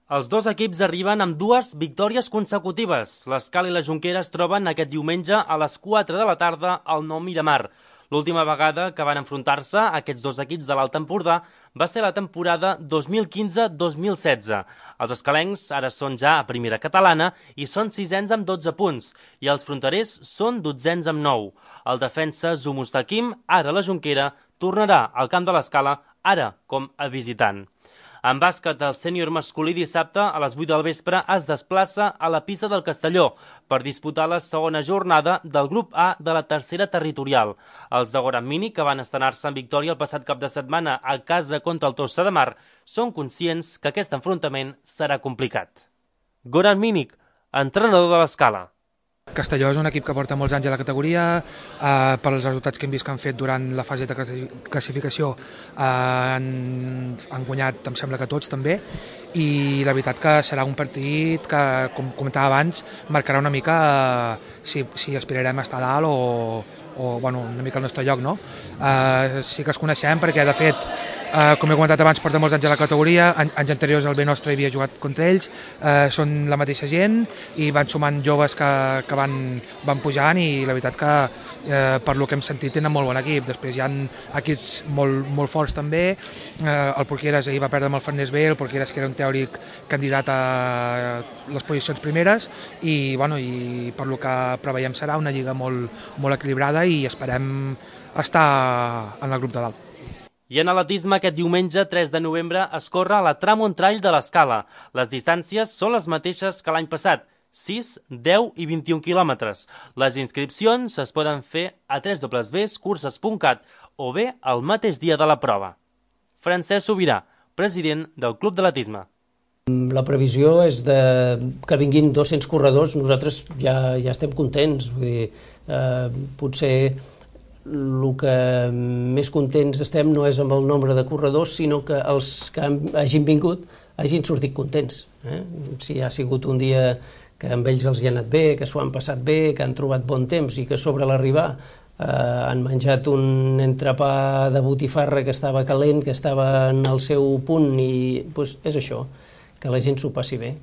Els dos equips arriben amb dues victòries consecutives. L'Escala i la Jonquera es troben aquest diumenge a les 4 de la tarda al Nou Miramar. L'última vegada que van enfrontar-se aquests dos equips de l'Alt Empordà va ser la temporada 2015-2016. Els escalencs ara són ja a primera catalana i són sisens amb 12 punts i els fronterers són dotzens amb 9. El defensa Zumustakim, ara la Jonquera, tornarà al camp de l'Escala, ara com a visitant. En bàsquet, el sènior masculí dissabte a les 8 del vespre es desplaça a la pista del Castelló per disputar la segona jornada del grup A de la tercera territorial. Els de Goran Mini, que van estrenar-se en victòria el passat cap de setmana a casa contra el Tossa de Mar, són conscients que aquest enfrontament serà complicat. Goran Minic, entrenador de l'Escala. Castelló és un equip que porta molts anys a la categoria, per als resultats que hem vist que han fet durant la fase de classificació han guanyat, em sembla que tots també, i la veritat que serà un partit que, com comentava abans, marcarà una mica si aspirarem a estar dalt o bueno, una mica al nostre lloc, no? Sí que els coneixem perquè, de fet, com he comentat abans, porta molts anys a la categoria, anys anteriors el B nostre havia jugat contra ells, són la mateixa gent i van sumant joves que van pujant i la veritat que per lo que hem sentit tenen molt bon equip. Després hi ha equips molt forts també, el Porqueres ahir va perdre amb el Farners B, el Porqueres que era un teòric candidat a les posicions primeres i per lo que preveiem serà una lliga molt equilibrada i esperem estar en el grup de dalt. I en atletisme, aquest diumenge 3 de novembre es corre la Tramon Trail de l'Escala. Les distàncies són les mateixes que l'any passat, 6, 10 i 21 quilòmetres. Les inscripcions es poden fer a www.curses.cat o bé el mateix dia de la prova. Francesc Sobirà, president del Club d'Atletisme. La previsió és que vinguin 200 corredors, nosaltres ja estem contents. Vull dir, potser el que més contents estem no és amb el nombre de corredors, sinó que els que hagin vingut hagin sortit contents. Si ha sigut un dia que amb ells els hi ha anat bé, que s'ho han passat bé, que han trobat bon temps i que sobre l'arribar han menjat un entrepà de botifarra que estava calent, que estava en el seu punt i és això, que la gent s'ho passi bé.